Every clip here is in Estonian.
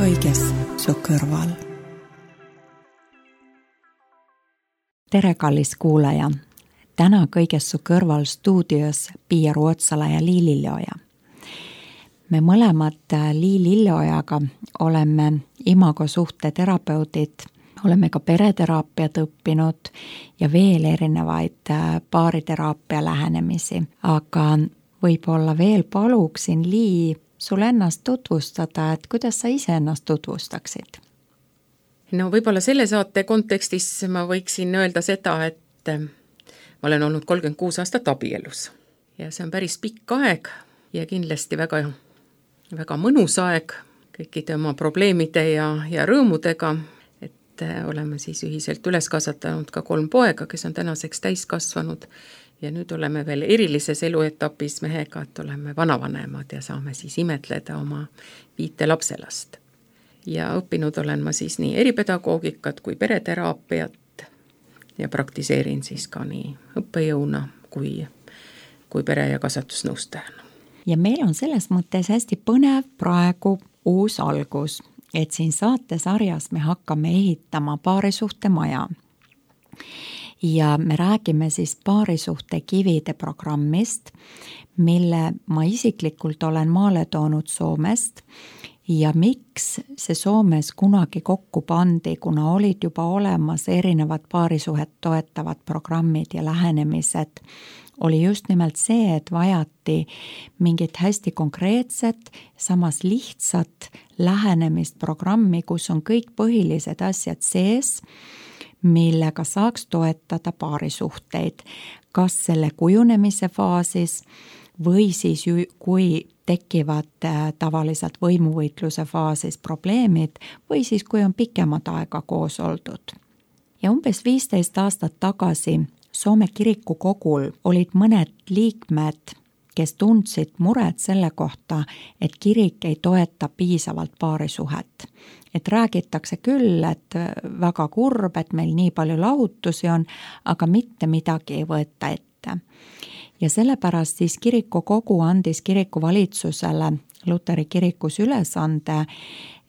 kõiges su kõrval. Tere, kallis kuulaja! Täna kõiges su kõrval stuudios Pia Ruotsala ja Lii Lilleoja. Me mõlemad Lii Lilleojaga oleme imagosuhte terapeudid, oleme ka pereteraapiat õppinud ja veel erinevaid paariteraapia lähenemisi. Aga võib-olla veel paluksin Lii sul ennast tutvustada, et kuidas sa ise ennast tutvustaksid? No võib-olla selle saate kontekstis ma võiksin öelda seda, et ma olen olnud 36 aastat abielus ja see on päris pikk aeg ja kindlasti väga mõnus aeg kõikide oma probleemide ja rõõmudega, et oleme siis ühiselt üles kasvatanud ka 3 poega, kes on tänaseks täiskasvanud ja nüüd oleme veel erilises eluetapis mehega, et oleme vanavanemad ja saame siis imetleda oma 5 lapselast. Ja õppinud olen ma siis nii eripedagoogikat kui pereteraapiat ja praktiseerin siis ka nii õppejõuna kui pere- ja kasvatusnõustajana. Ja meil on selles mõttes hästi põnev praegu uus algus, et siin saatesarjas me hakkame ehitama paarisuhte maja. Ja me räägime siis paarisuhte kivide programmist, mille ma isiklikult olen maale toonud Soomest ja miks see Soomes kunagi kokku pandi, kuna olid juba olemas erinevad paarisuhet toetavad programmid ja lähenemised, oli just nimelt see, et vajati mingit hästi konkreetset, samas lihtsat lähenemist programmi, kus on kõik põhilised asjad sees, millega saaks toetada paarisuhteid, kas selle kujunemise faasis või siis kui tekivad tavaliselt võimuvõitluse faasis probleemid või siis kui on pikemat aega koos oldud. Ja umbes 15 aastat tagasi Soome kirikukogul olid mõned liikmed, kes tundsid muret selle kohta, et kirik ei toeta piisavalt paarisuhet. Et räägitakse küll, et väga kurb, et meil nii palju lahutusi on, aga mitte midagi ei võeta ette. Ja sellepärast siis kirikukogu andis kirikuvalitsusele Luteri kirikus ülesande,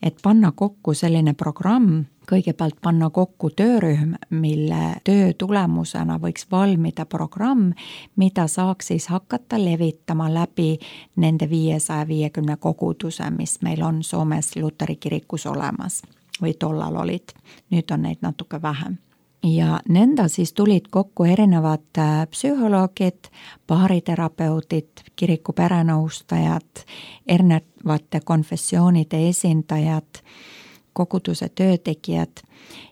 et panna kokku selline programm, kõigepealt panna kokku töörühm, mille töö tulemusena võiks valmida programm, mida saaks siis hakata levitama läbi nende 550 koguduse, mis meil on Soomes Luteri kirikus olemas või tollal olid. Nüüd on neid natuke vähem. Ja nenda siis tulid kokku erinevad psühholoogid, paariterapeudid, kiriku perenõustajad, erinevate konfessioonide esindajad, koguduse töötegijad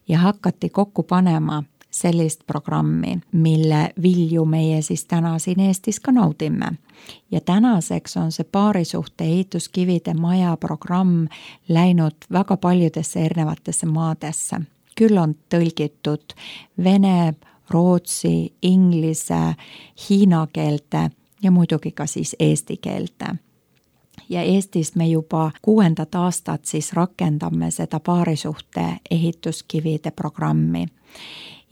ja hakati kokku panema sellist programmi, mille vilju meie siis täna siin Eestis ka naudime. Ja tänaseks on see paarisuhte ehituskivide maja programm läinud väga paljudesse erinevatesse maadesse. Küll on tõlgitud vene, rootsi, inglise, hiina keelte ja muidugi ka siis eesti keelte. Ja Eestis me juba 6. aastat siis rakendame seda paarisuhte ehituskivide programmi.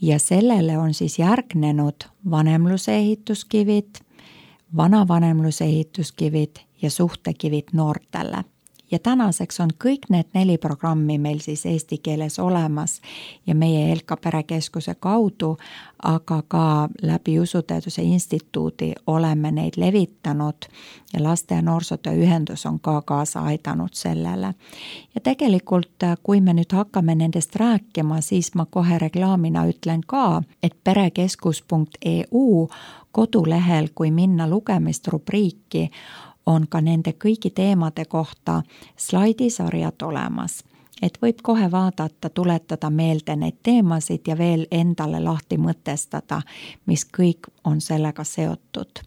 Ja sellele on siis järgnenud vanemluse ehituskivid, vanavanemluse ehituskivid ja suhtekivid noortele. Ja tänaseks on kõik need 4 programmi meil siis eesti keeles olemas ja meie Elka perekeskuse kaudu, aga ka läbi Usuteaduse instituudi oleme neid levitanud ja Laste- ja Noorsootöö ühendus on ka kaasa aidanud sellele. Ja tegelikult, kui me nüüd hakkame nendest rääkima, siis ma kohe reklaamina ütlen ka, et perekeskus.eu kodulehel, kui minna lugemist rubriiki, on ka nende kõigi teemade kohta slaidisarjad olemas, et võib kohe vaadata, tuletada meelde neid teemasid ja veel endale lahti mõtestada, mis kõik on sellega seotud.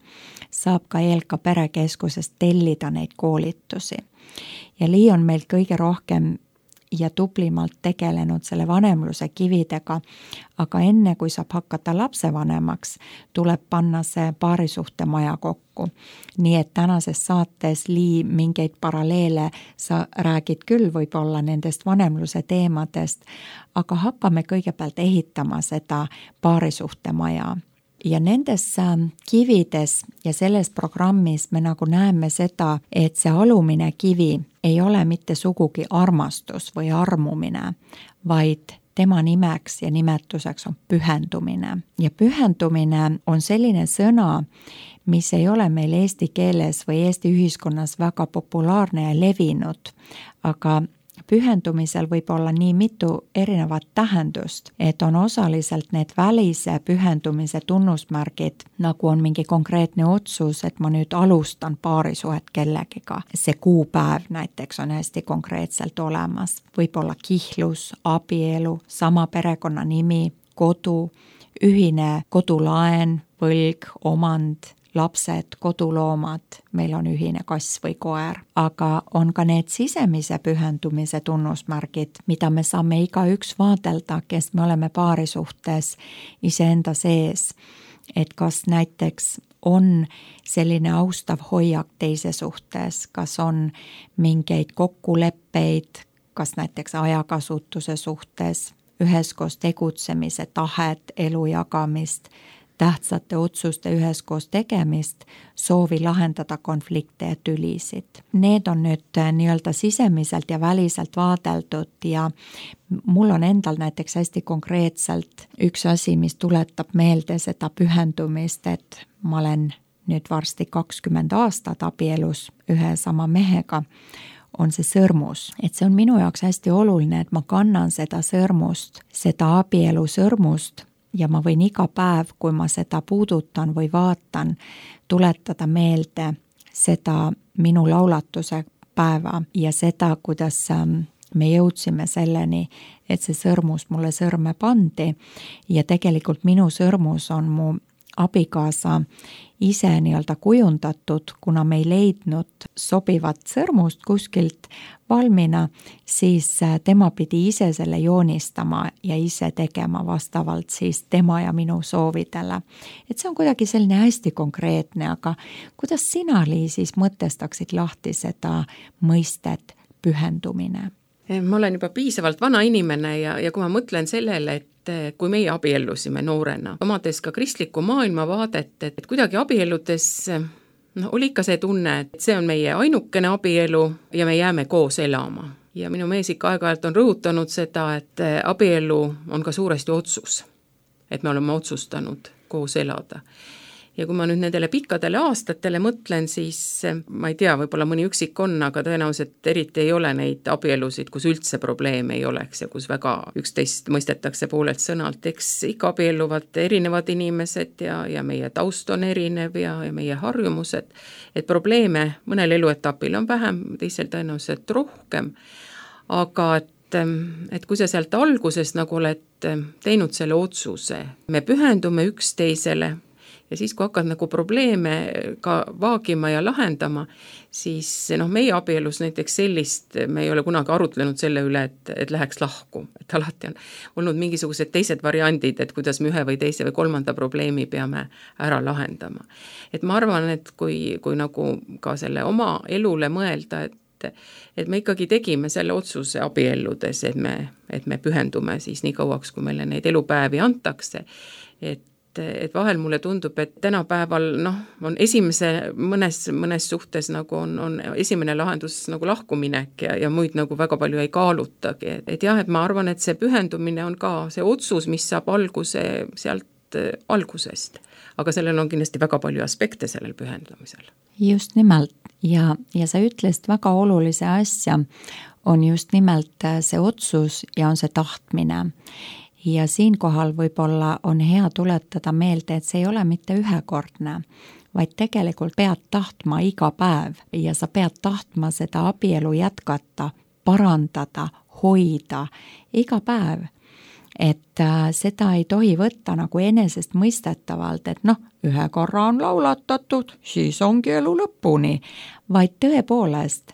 Saab ka Elka perekeskusest tellida neid koolitusi. Ja Lii on meil kõige rohkem ja tublimalt tegelenud selle vanemluse kividega, aga enne kui saab hakata lapsevanemaks, tuleb panna see paarisuhte maja kokku. Nii et tänases saates Lii mingeid paralleele sa räägid küll võib-olla nendest vanemluse teemadest, aga hakkame kõigepealt ehitama seda paarisuhte maja. Ja nendes kivides ja selles programmis me nagu näeme seda, et see alumine kivi ei ole mitte sugugi armastus või armumine, vaid tema nimeks ja nimetuseks on pühendumine. Ja pühendumine on selline sõna, mis ei ole meil eesti keeles või Eesti ühiskonnas väga populaarne ja levinud, aga pühendumisel võib olla nii mitu erinevat tähendust, et on osaliselt need välise pühendumise tunnusmärgid, nagu on mingi konkreetne otsus, et ma nüüd alustan paarisuhet kellegiga. See kuupäev näiteks on hästi konkreetselt olemas. Võib olla kihlus, abielu, sama perekonnanimi, kodu, ühine kodulaen, võlg, omand, lapsed, koduloomad, meil on ühine kass või koer, aga on ka need sisemise pühendumise tunnusmärgid, mida me saame igaüks vaadelda, kes me oleme paarisuhtes iseenda sees. Et kas näiteks on selline austav hoiak teise suhtes, kas on mingeid kokkuleppeid, kas näiteks ajakasutuse suhtes, üheskoos tegutsemise tahet, elu jagamist, tähtsate otsuste üheskoos tegemist, soovi lahendada konflikte ja tülisid. Need on nüüd nii-öelda sisemiselt ja väliselt vaadeldud ja mul on endal näiteks hästi konkreetselt üks asi, mis tuletab meelde seda pühendumist, et ma olen nüüd varsti 20 aastat abielus ühe sama mehega, on see sõrmus. Et see on minu jaoks hästi oluline, et ma kannan seda sõrmust, seda abielu sõrmust, ja ma võin iga päev, kui ma seda puudutan või vaatan, tuletada meelde seda minu laulatuse päeva ja seda, kuidas me jõudsime selleni, et see sõrmus mulle sõrme pandi ja tegelikult minu sõrmus on mu abikaasa ise nii-öelda kujundatud, kuna me ei leidnud sobivat sõrmust kuskilt valmina, siis tema pidi ise selle joonistama ja ise tegema vastavalt siis tema ja minu soovidele. Et see on kuidagi selline hästi konkreetne, aga kuidas sina, Liis, mõtestaksid lahti seda mõistet pühendumine? Ma olen juba piisavalt vana inimene ja kui ma mõtlen sellele, et kui meie abiellusime noorena, omades ka kristlikku maailmavaadet, et kuidagi abielludes oli ikka see tunne, et see on meie ainukene abielu ja me jääme koos elama. Ja minu mees ikka aeg-ajalt on rõhutanud seda, et abielu on ka suuresti otsus, et me oleme otsustanud koos elada. Ja kui ma nüüd nendele pikkadele aastatele mõtlen, siis ma ei tea, võib-olla mõni üksik on, aga tõenäoliselt eriti ei ole neid abielusid, kus üldse probleeme ei oleks ja kus väga üksteist mõistetakse poolelt sõnalt. Eks ikka abielluvad erinevad inimesed ja meie taust on erinev ja meie harjumused. Et probleeme mõnel eluetapil on vähem, teisel tõenäoliselt rohkem. Aga et kui sa sealt alguses nagu oled teinud selle otsuse, me pühendume üksteisele, ja siis, kui hakkad nagu probleeme ka vaagima ja lahendama, siis meie abielus näiteks sellist, me ei ole kunagi arutlenud selle üle, et läheks lahku. Et alati on olnud mingisugused teised variandid, et kuidas me ühe või teise või kolmanda probleemi peame ära lahendama. Et ma arvan, et kui nagu ka selle oma elule mõelda, et me ikkagi tegime selle otsuse abielludes, et me pühendume siis nii kauaks, kui meile neid elupäevi antakse, et vahel mulle tundub, et tänapäeval on mõnes suhtes nagu on esimene lahendus nagu lahkuminek ja muid nagu väga palju ei kaalutagi. Et jah, et ma arvan, et see pühendumine on ka see otsus, mis saab alguse sealt algusest. Aga sellel on kindlasti väga palju aspekte sellel pühendumisel. Just nimelt ja sa ütlesid väga olulise asja, on just nimelt see otsus ja on see tahtmine. Ja siinkohal võib-olla on hea tuletada meelde, et see ei ole mitte ühekordne, vaid tegelikult pead tahtma iga päev ja sa pead tahtma seda abielu jätkata, parandada, hoida iga päev. Et seda ei tohi võtta nagu enesest mõistetavalt, et ühe korra on laulatatud, siis ongi elu lõpuni, vaid tõepoolest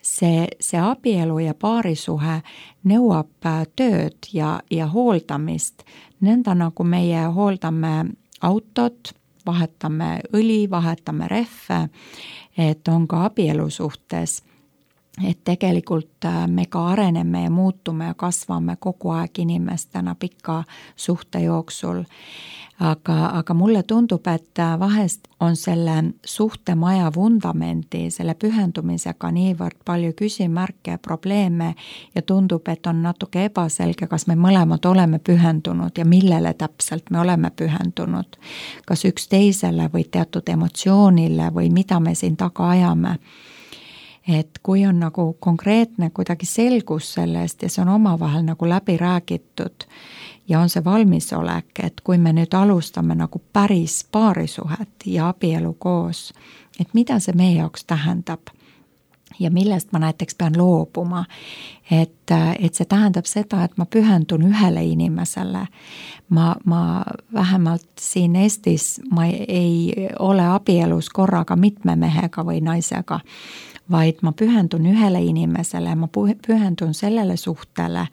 see abielu ja paarisuhe nõuab tööd ja hooldamist. Nõnda nagu meie hooldame autot, vahetame õli, vahetame rehve, et on ka abielu suhtes. et tegelikult me ka areneme ja muutume ja kasvame kogu aeg inimestena pika suhte jooksul. Aga mulle tundub, et vahest on selle suhtemaja vundamendi, selle pühendumisega niivõrd palju küsimärke ja probleeme ja tundub, et on natuke ebaselge, kas me mõlemad oleme pühendunud ja millele täpselt me oleme pühendunud. Kas üksteisele või teatud emotsioonile või mida me siin taga ajame. Et kui on nagu konkreetne kuidagi selgus sellest ja see on omavahel nagu läbi räägitud ja on see valmisolek, et kui me nüüd alustame nagu päris paarisuhet ja abielu koos, et mida see meie jaoks tähendab ja millest ma näiteks pean loobuma, et see tähendab seda, et ma pühendun ühele inimesele. Ma vähemalt siin Eestis ma ei ole abielus korraga mitme mehega või naisega, vaid ma pühendun ühele inimesele, ma pühendun sellele suhtele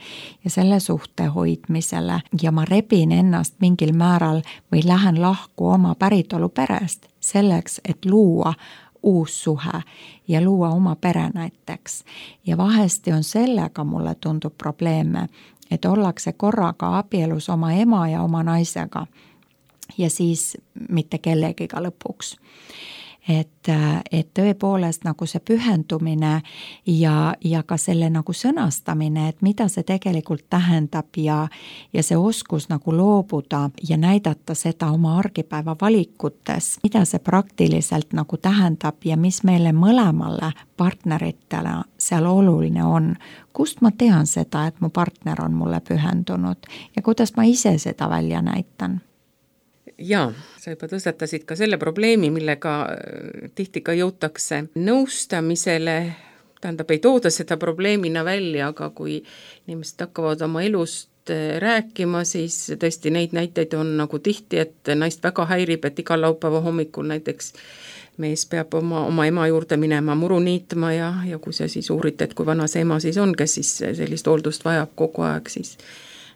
ja selle suhte hoidmisele ja ma rebin ennast mingil määral või lähen lahku oma päritolu perest selleks, et luua uus suhe ja luua oma pere näiteks. Ja vahesti on sellega mulle tundub probleeme, et ollakse korraga abielus oma ema ja oma naisega ja siis mitte kellegiga lõpuks. Et tõepoolest nagu see pühendumine ja ka selle nagu sõnastamine, et mida see tegelikult tähendab ja see oskus nagu loobuda ja näidata seda oma argipäeva valikutes, mida see praktiliselt nagu tähendab ja mis meile mõlemale partneritele seal oluline on. Kust ma tean seda, et mu partner on mulle pühendunud ja kuidas ma ise seda välja näitan? Jaa, sa juba tõstatasid ka selle probleemi, millega tihti ka jõutakse nõustamisele, tähendab ei tooda seda probleemina välja, aga kui inimesed hakkavad oma elust rääkima, siis tõesti neid näiteid on nagu tihti, et naist väga häirib, et igal laupäeva hommikul näiteks mees peab oma ema juurde minema muru niitma ja kui sa siis uurid, et kui vana see ema siis on, kes siis sellist hooldust vajab kogu aeg, siis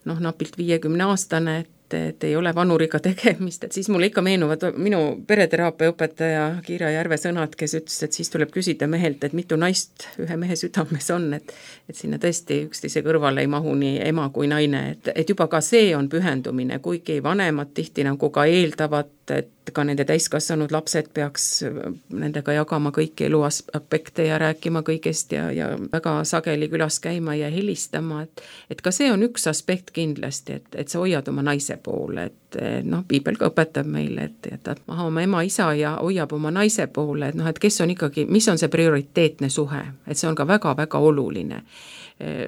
napilt 50-aastane, et ei ole vanuriga tegemist, et siis mulle ikka meenuvad minu pereteraapia õpetaja Kiira Järve sõnad, kes ütles, et siis tuleb küsida mehelt, et mitu naist ühe mehe südames on, et sinna tõesti üksteise kõrvale ei mahu nii ema kui naine, et juba ka see on pühendumine, kuigi vanemad tihti nagu ka eeldavad, et ka nende täiskasvanud lapsed peaks nendega jagama kõiki eluaspekte ja rääkima kõigest ja väga sageli külas käima ja helistama, et ka see on üks aspekt kindlasti, et sa hoiad oma naise poole, et piibel ka õpetab meile, et jätab maha oma ema, isa ja hoiab oma naise poole, et kes on ikkagi, mis on see prioriteetne suhe, et see on ka väga-väga oluline.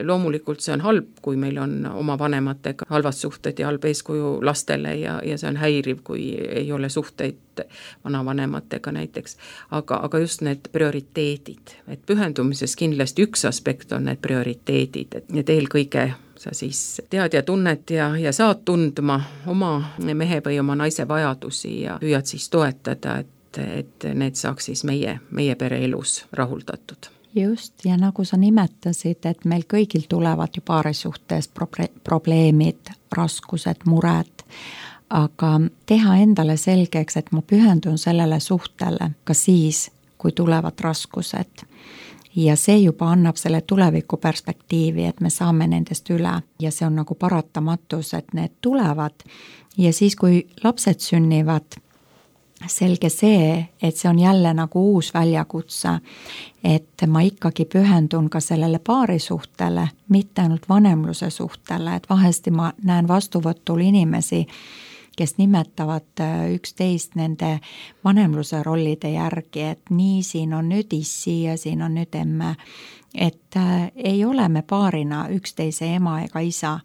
Loomulikult see on halb, kui meil on oma vanematega halvad suhted ja halb eeskuju lastele ja see on häiriv, kui ei ole suhteid vanavanematega näiteks, aga just need prioriteedid, et pühendumises kindlasti üks aspekt on need prioriteedid, et eelkõige sa siis tead ja tunned ja saad tundma oma mehe või oma naise vajadusi ja püüad siis toetada, et need saaks siis meie pereelus rahuldatud. Just, ja nagu sa nimetasid, et meil kõigil tulevad ju paarisuhtes probleemid, raskused, mured, aga teha endale selgeks, et ma pühendun sellele suhtele ka siis, kui tulevad raskused. Ja see juba annab selle tuleviku perspektiivi, et me saame nendest üle ja see on nagu paratamatus, et need tulevad ja siis, kui lapsed sünnivad, selge see, et see on jälle nagu uus väljakutse, et ma ikkagi pühendun ka sellele paarisuhtele, mitte ainult vanemluse suhtele, et vahesti ma näen vastuvõtul inimesi, kes nimetavad üksteist nende vanemluse rollide järgi, et nii siin on nüüd issi ja siin on nüüd emme, et ei ole me paarina üksteise ema ega isa,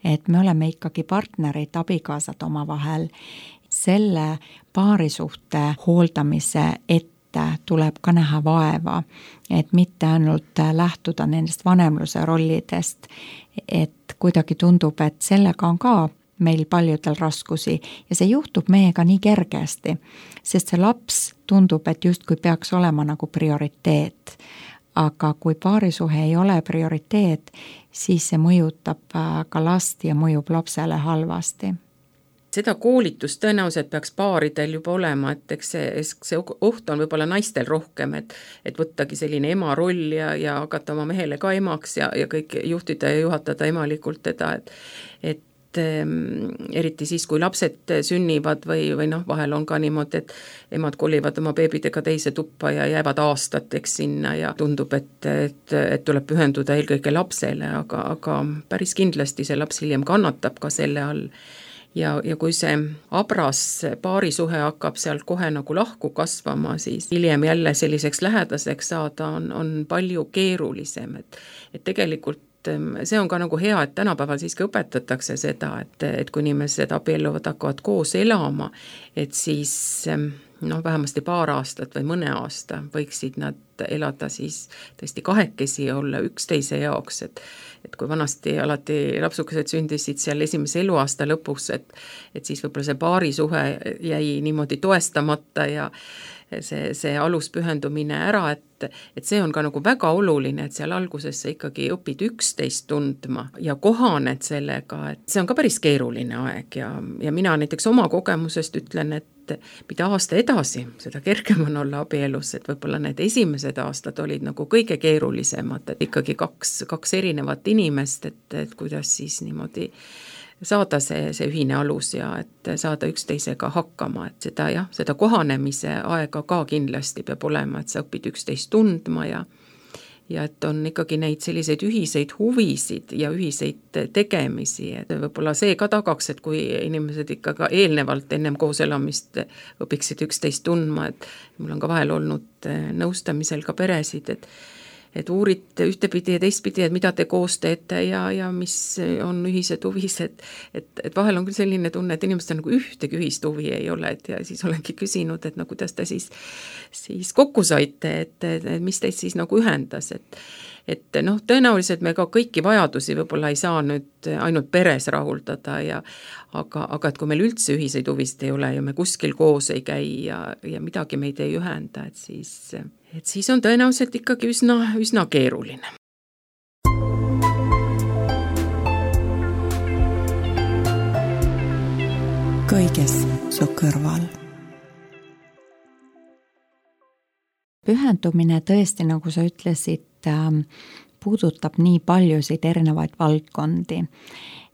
et me oleme ikkagi partnerid, abikaasad omavahel. Selle paarisuhte hooldamise ette tuleb ka näha vaeva, et mitte ainult lähtuda nendest vanemluse rollidest, et kuidagi tundub, et sellega on ka meil paljudel raskusi ja see juhtub meiega nii kergesti, sest see laps tundub, et justkui peaks olema nagu prioriteet. Aga kui paarisuhe ei ole prioriteet, siis see mõjutab ka last ja mõjub lapsele halvasti. seda koolitust tõenäoliselt peaks paaridel juba olema, et eks see oht on võib-olla naistel rohkem, et võttagi selline ema roll ja hakata oma mehele ka emaks ja kõik juhtida ja juhatada emalikult teda, et eriti siis, kui lapsed sünnivad või noh, vahel on ka niimoodi, et emad kolivad oma beebidega teise tuppa ja jäävad aastateks sinna ja tundub, et tuleb pühenduda eelkõige lapsele, aga päris kindlasti see laps hiljem kannatab ka selle all. Ja kui see abras paarisuhe hakkab sealt kohe nagu lahku kasvama, siis hiljem jälle selliseks lähedaseks saada on palju keerulisem, et tegelikult see on ka nagu hea, et tänapäeval siiski õpetatakse seda, et kui inimesed abielluvad, hakkavad koos elama, et siis vähemasti paar aastat või mõne aasta võiksid nad elada siis tõesti kahekesi ja olla üksteise jaoks, et kui vanasti alati lapsukesed sündisid seal esimese eluaasta lõpus, et siis võib-olla see paarisuhe jäi niimoodi toestamata ja see aluspühendumine ära, et see on ka nagu väga oluline, et seal alguses sa ikkagi õpid üksteist tundma ja kohaned sellega, et see on ka päris keeruline aeg ja mina näiteks oma kogemusest ütlen, et mida aasta edasi, seda kergem on olla abielus, et võib-olla need esimesed aastad olid nagu kõige keerulisemad, et ikkagi kaks erinevat inimest, et kuidas siis niimoodi saada see ühine alus ja et saada üksteisega hakkama, et seda kohanemise aega ka kindlasti peab olema, et sa õpid üksteist tundma ja et on ikkagi neid selliseid ühiseid huvisid ja ühiseid tegemisi, et võib-olla see ka tagaks, et kui inimesed ikka ka eelnevalt ennem koos elamist õpiksid üksteist tundma, et mul on ka vahel olnud nõustamisel ka peresid, et uurite ühtepidi ja teistpidi, et mida te koos teete ja mis on ühised huvised, et vahel on küll selline tunne, et inimestel nagu ühtegi ühist huvi ei ole, ja siis olengi küsinud, et kuidas te siis kokku saite, et mis teid siis nagu ühendas, et tõenäoliselt me ka kõiki vajadusi võib-olla ei saa nüüd ainult peres rahuldada aga et kui meil üldse ühiseid huvisid ei ole ja me kuskil koos ei käi ja midagi meid ei ühenda, et siis on tõenäoliselt ikkagi üsna keeruline. Kõiges su kõrval. Pühendumine tõesti, nagu sa ütlesid, puudutab nii paljusid erinevaid valdkondi,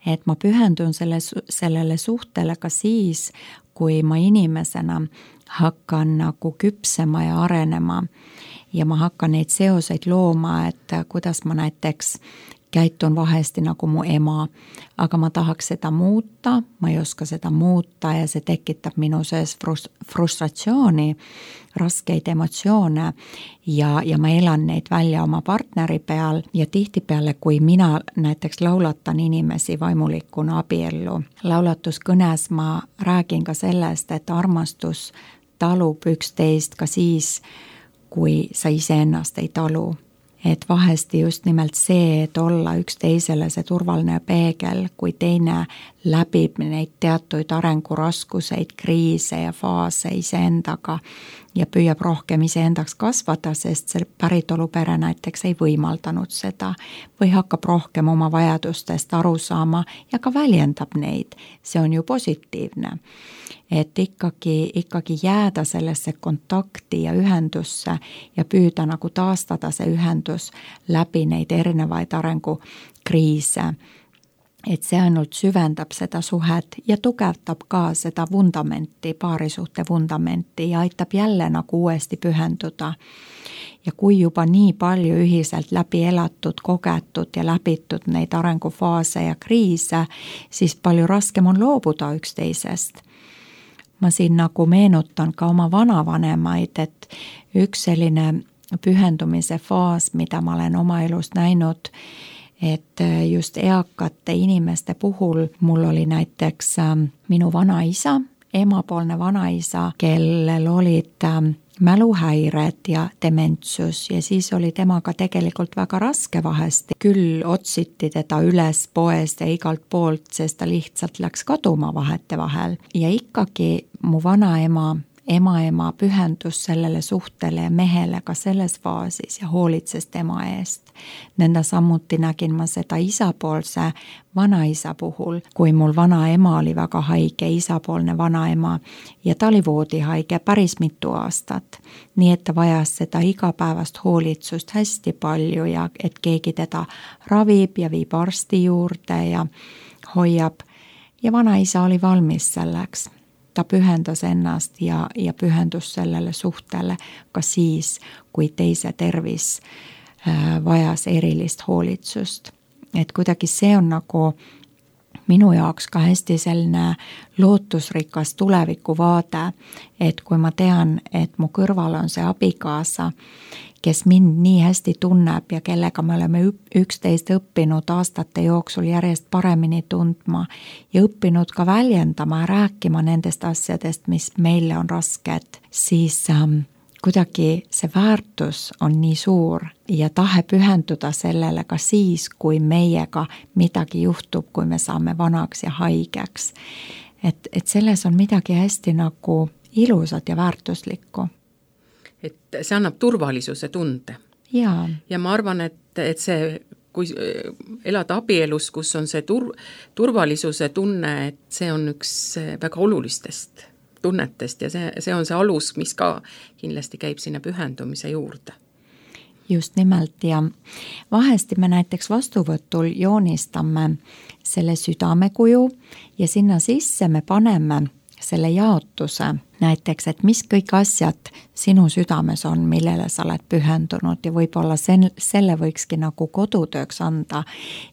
et ma pühendun sellele suhtele ka siis, kui ma inimesena hakkan nagu küpsema ja arenema ja ma hakkan neid seoseid looma, et kuidas ma näiteks käitun vahesti nagu mu ema, aga ma tahaks seda muuta, ma ei oska seda muuta ja see tekitab minu sees frustratsiooni, raskeid emotsioone ja ma elan neid välja oma partneri peal ja tihtipeale, kui mina näiteks laulatan inimesi vaimulikuna abiellu, laulatuskõnes ma räägin ka sellest, et armastus talub üksteist ka siis, kui sa iseennast ei talu. Et vahesti just nimelt see, et olla üksteisele see turvaline peegel, kui teine läbib neid teatuid arenguraskuseid, kriise ja faase iseendaga ja püüab rohkem iseendaks kasvada, sest see päritolupere näiteks ei võimaldanud seda või hakkab rohkem oma vajadustest aru saama ja ka väljendab neid. See on ju positiivne. Et ikkagi jääda sellesse kontakti ja ühendusse ja püüda nagu taastada see ühendus läbi neid erinevaid arengukriise. Et see ainult süvendab seda suhet ja tugevdab ka seda vundamenti, paarisuhte vundamenti ja aitab jälle nagu uuesti pühenduda. Ja kui juba nii palju ühiselt läbi elatud, kogetud ja läbitud neid arengufaase ja kriise, siis palju raskem on loobuda üksteisest. Ma siin nagu meenutan ka oma vanavanemaid, et üks selline pühendumise faas, mida ma olen oma elus näinud, et just eakate inimeste puhul mul oli näiteks minu vanaisa, emapoolne vanaisa, kellel olid mäluhäired ja dementsus ja siis oli temaga tegelikult väga raske vahesti. Küll otsiti teda üles poest ja igalt poolt, sest ta lihtsalt läks kaduma vahetevahel. Ja ikkagi mu vanaema ema pühendus sellele suhtele ja mehele ka selles faasis ja hoolitses tema eest. Nõnda samuti nägin ma seda isapoolse vanaisa puhul, kui mul vanaema oli väga haige, isapoolne vanaema, ja ta oli voodihaige päris mitu aastat. Nii et ta vajas seda igapäevast hoolitsust hästi palju ja et keegi teda ravib ja viib arsti juurde ja hoiab. Ja vanaisa oli valmis selleks. Ta pühendas ennast ja pühendus sellele suhtele ka siis, kui teise tervis vajas erilist hoolitsust. Et kuidagi see on nagu minu jaoks ka hästi selline lootusrikas tulevikuvaade, et kui ma tean, et mu kõrval on see abikaasa, kes mind nii hästi tunneb ja kellega me oleme üksteist õppinud aastate jooksul järjest paremini tundma ja õppinud ka väljendama ja rääkima nendest asjadest, mis meile on rasked, siis kuidagi see väärtus on nii suur ja tahe pühenduda sellele ka siis, kui meiega midagi juhtub, kui me saame vanaks ja haigeks. Et selles on midagi hästi nagu ilusat ja väärtuslikku. Et see annab turvalisuse tunde. Ja ma arvan, et see, kui elada abielus, kus on see turvalisuse tunne, et see on üks väga olulistest tunnetest ja see on see alus, mis ka kindlasti käib sinna pühendumise juurde. Just nimelt ja vahesti me näiteks vastuvõtul joonistame selle südamekuju ja sinna sisse me paneme selle jaotuse näiteks, et mis kõik asjad sinu südames on, millele sa oled pühendunud ja võib-olla selle võikski nagu kodutööks anda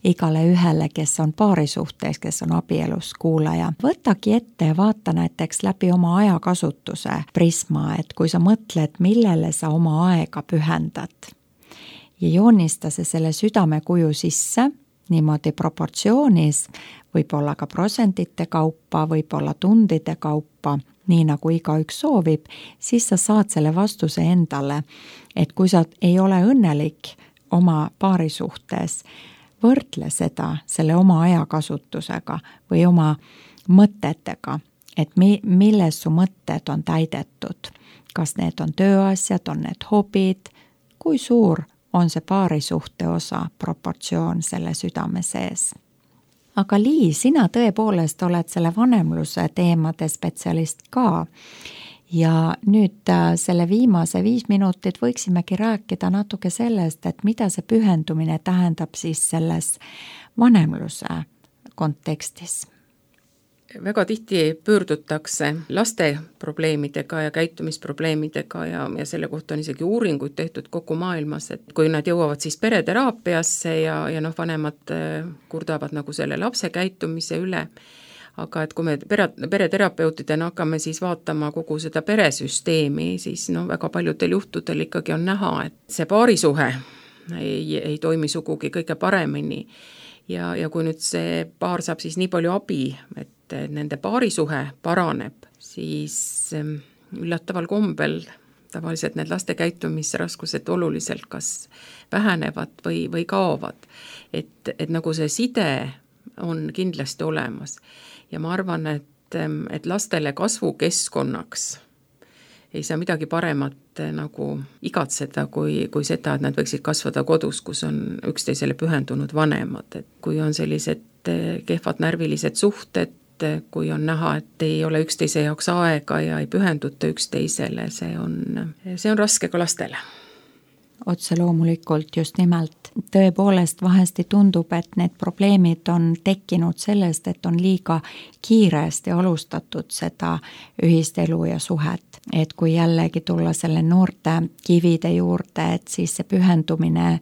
igale ühele, kes on paarisuhtes, kes on abielus kuulaja. Võtagi ette ja vaata näiteks läbi oma ajakasutuse prisma, et kui sa mõtled, millele sa oma aega pühendad ja joonista selle südamekuju sisse, niimoodi proportsioonis, võib-olla ka protsentite kaupa, võib-olla tundide kaupa, nii nagu igaüks soovib, siis sa saad selle vastuse endale, et kui sa ei ole õnnelik oma paari suhtes, võrdle seda selle oma ajakasutusega või oma mõtetega, et milles su mõtted on täidetud. Kas need on tööasjad, on need hobid, kui suur on see paarisuhte osa proportsioon selle südame sees. Aga Liis, sina tõepoolest oled selle vanemluse teemade spetsialist ka ja nüüd selle viimase 5 minutit võiksimegi rääkida natuke sellest, et mida see pühendumine tähendab siis selles vanemluse kontekstis. Väga tihti pöördutakse laste probleemidega ja käitumisprobleemidega ja selle kohta on isegi uuringuid tehtud kogu maailmas, et kui nad jõuavad siis pereteraapiasse ja vanemad kurdavad nagu selle lapse käitumise üle, aga et kui me pereterapeutidena hakkame siis vaatama kogu seda peresüsteemi, siis väga paljudel juhtudel ikkagi on näha, et see paarisuhe ei toimi sugugi kõige paremini ja kui nüüd see paar saab siis nii palju abi, et nende paarisuhe paraneb, siis üllataval kombel tavaliselt need laste käitumisraskused oluliselt kas vähenevad või kaovad. Et nagu see side on kindlasti olemas ja ma arvan, et lastele kasvukeskkonnaks ei saa midagi paremat nagu igatseda kui seda, et nad võiksid kasvada kodus, kus on üksteisele pühendunud vanemad. Et kui on sellised kehvad närvilised suhted, kui on näha, et ei ole üksteise jaoks aega ja ei pühenduta üksteisele, see on raske ka lastele. Otse loomulikult just nimelt. Tõepoolest vahesti tundub, et need probleemid on tekkinud sellest, et on liiga kiiresti alustatud seda ühist elu ja suhet. Et kui jällegi tulla selle noorte kivide juurde, et siis see pühendumine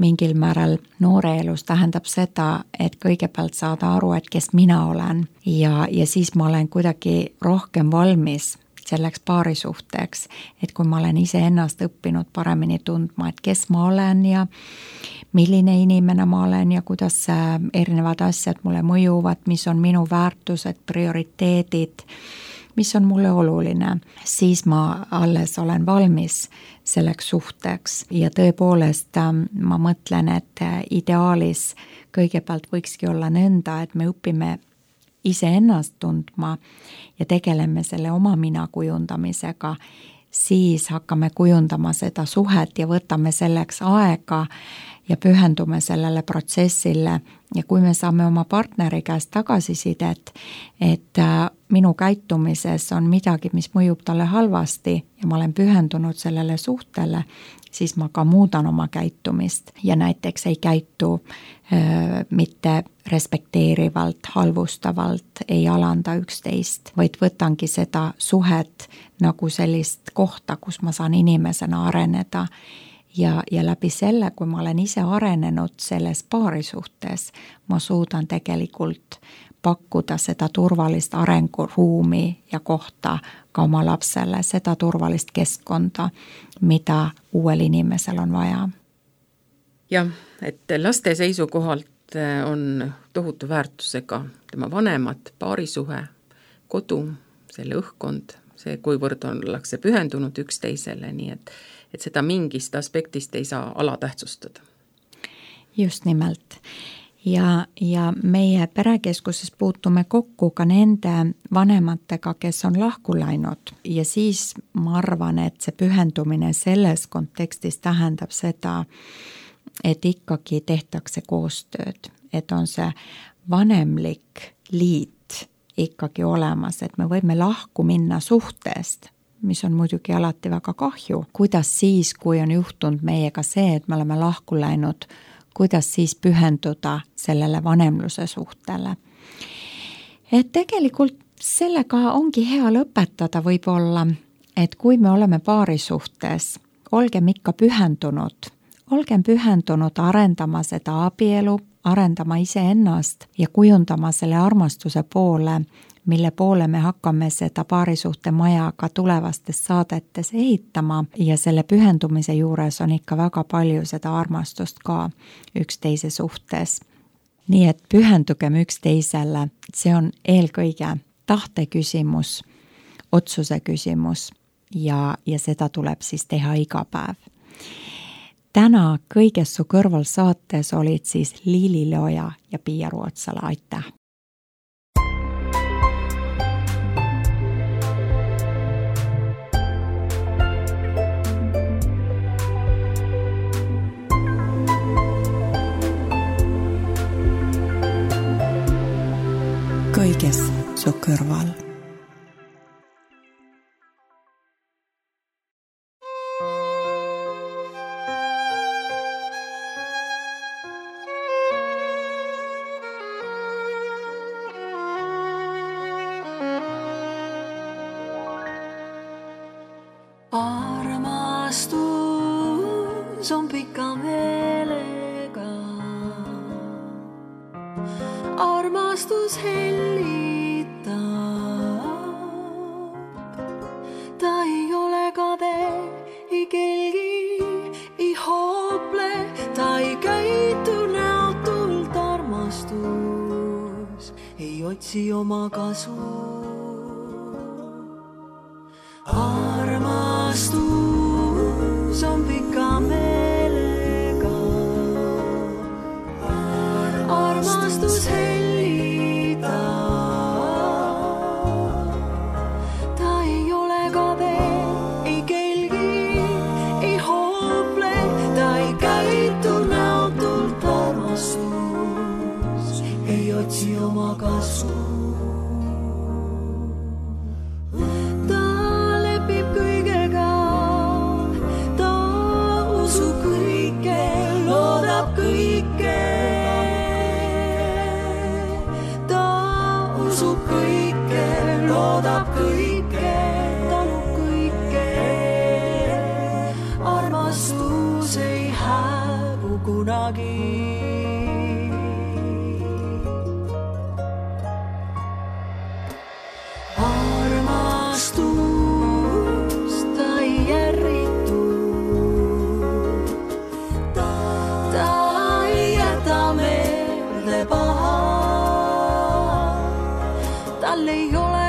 mingil määral noore elus tähendab seda, et kõigepealt saada aru, et kes mina olen ja siis ma olen kuidagi rohkem valmis selleks paarisuhteks, et kui ma olen iseennast õppinud paremini tundma, et kes ma olen ja milline inimene ma olen ja kuidas erinevad asjad mulle mõjuvad, mis on minu väärtused, prioriteedid, mis on mulle oluline, siis ma alles olen valmis selleks suhteks ja tõepoolest ma mõtlen, et ideaalis kõigepealt võikski olla nõnda, et me õpime iseennast tundma ja tegeleme selle oma mina kujundamisega, siis hakkame kujundama seda suhet ja võtame selleks aega ja pühendume sellele protsessile. Ja kui me saame oma partneri käest tagasisidet, et minu käitumises on midagi, mis mõjub talle halvasti ja ma olen pühendunud sellele suhtele, siis ma ka muudan oma käitumist ja näiteks ei käitu mitte respekteerivalt, halvustavalt, ei alanda üksteist, vaid võtangi seda suhet nagu sellist kohta, kus ma saan inimesena areneda. Ja läbi selle, kui ma olen ise arenenud selles paarisuhtes, ma suudan tegelikult pakkuda seda turvalist arenguruumi ja kohta ka oma lapsele, seda turvalist keskkonda, mida uuel inimesel on vaja. Jah, et laste seisukohalt on tohutu väärtusega tema vanemad, paarisuhe, kodu, selle õhkkond, see kuivõrd ollakse pühendunud üksteisele, nii et seda mingist aspektist ei saa alatähtsustada. Just nimelt. Ja meie perekeskuses puutume kokku ka nende vanematega, kes on lahku läinud ja siis ma arvan, et see pühendumine selles kontekstis tähendab seda, et ikkagi tehtakse koostööd, et on see vanemlik liit ikkagi olemas, et me võime lahku minna suhtest, mis on muidugi alati väga kahju. Kuidas siis, kui on juhtunud meiega see, et me oleme lahku läinud, kuidas siis pühenduda sellele vanemluse suhtele. Et tegelikult sellega ongi hea lõpetada võib-olla, et kui me oleme paarisuhtes, olgem ikka pühendunud, arendama seda abielu, arendama iseennast ja kujundama selle armastuse poole, mille poole me hakkame seda paarisuhte maja ka tulevastes saadetes ehitama ja selle pühendumise juures on ikka väga palju seda armastust ka üksteise suhtes. Nii et pühendugem üksteisele, see on eelkõige tahte küsimus, otsuse küsimus ja seda tuleb siis teha iga päev. Täna Kõiges su kõrval saates olid siis Liili Leoja ja Piia Ruotsala, aitäh! Kõiges su kõrval. Armastus on pika meelega. Armastus hellitab, ta ei ole kade, ei kelgi, ei hoople, ta ei käitu näotult. Armastus ei otsi oma kasu. Armastus on pika meelega. Armastus hellitab, ta ei ole kade, ei kelgi, ei hoople, ta ei käitu näotult. Armastus ei otsi oma kasu. Loodab kõike, talub kõike. Armastus ei hääbu kunagi. Armastus ta ei järritu, ta ei jäta meelde paha. Tal ei ole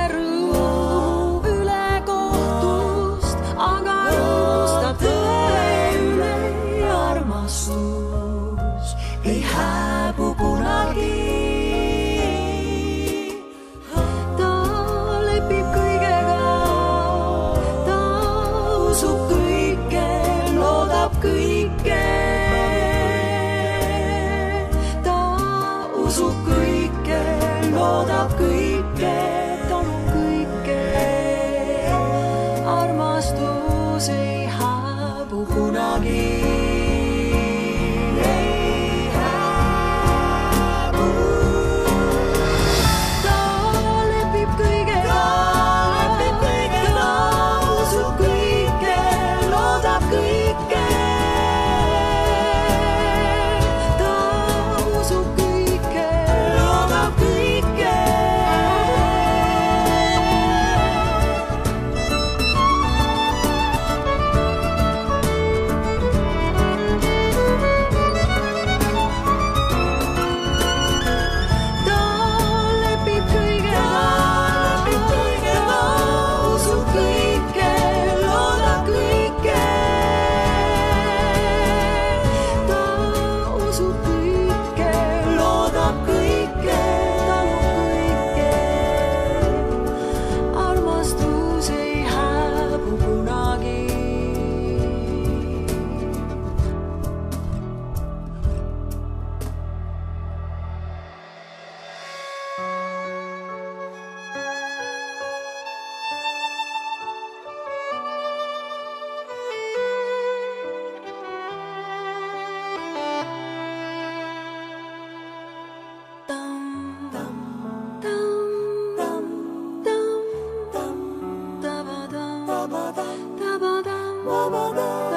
vabada.